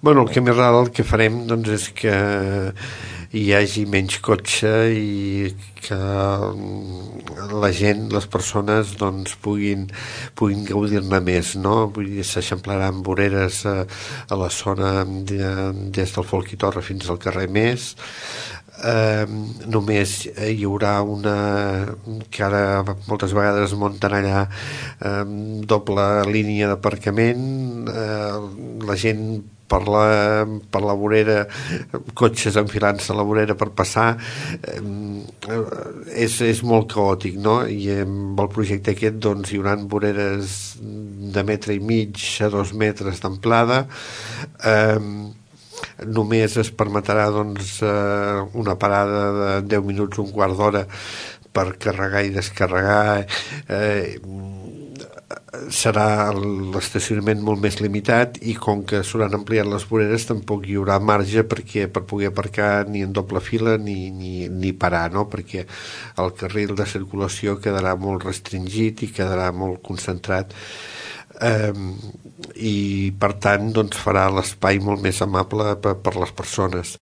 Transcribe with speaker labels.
Speaker 1: Bueno, el camí ral el que farem doncs, és que hi hagi menys cotxe i que la gent, les persones doncs, puguin gaudir-ne més, no? Vull dir, s'eixamplaran voreres a la zona des del Folk i Torre fins al carrer Més. Només hi haurà una que ara moltes vegades es munten allà doble línia d'aparcament, la gent per la vorera, cotxes enfilant-se a la vorera per passar, és molt caòtic, no? I amb el projecte aquest doncs, hi haurà voreres de metre i mig a 2 metres d'amplada. Només es permetrà doncs, una parada de 10 minuts, un quart d'hora per carregar i descarregar. Serà l'estacionament molt més limitat i com que s'hauran ampliat les voreres tampoc hi haurà marge per poder aparcar ni en doble fila ni parar, no? Perquè el carril de circulació quedarà molt restringit i quedarà molt concentrat, i per tant doncs, farà l'espai molt més amable per les persones.